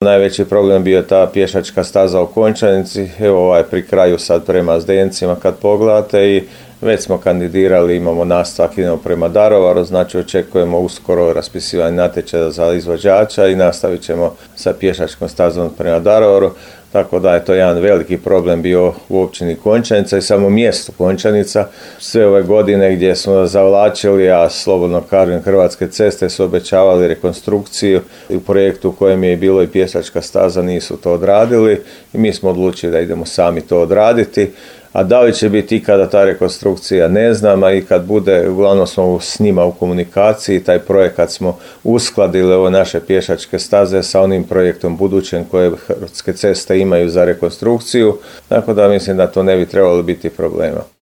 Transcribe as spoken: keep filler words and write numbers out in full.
Najveći problem bio ta pješačka staza u Končanici, evo ovaj pri kraju sad prema Zdencima kad pogledate i već smo kandidirali, imamo nastavak, idemo prema Daruvaru, znači očekujemo uskoro raspisivanje natječaja za izvođača i nastavit ćemo sa pješačkom stazom prema Daruvaru, tako da je to jedan veliki problem bio u općini Končanica i samo mjestu Končanica. Sve ove godine gdje smo zavlačili, a slobodno kažem Hrvatske ceste su obećavali rekonstrukciju i u projektu u kojem je bilo i pješačka staza nisu to odradili i mi smo odlučili da idemo sami to odraditi. A da li će biti ikada ta rekonstrukcija ne znam, a i kad bude, uglavnom smo s njima u komunikaciji, taj projekat smo uskladili ove naše pješačke staze sa onim projektom budućem koje Hrvatske ceste imaju za rekonstrukciju, tako da mislim da to ne bi trebalo biti problema.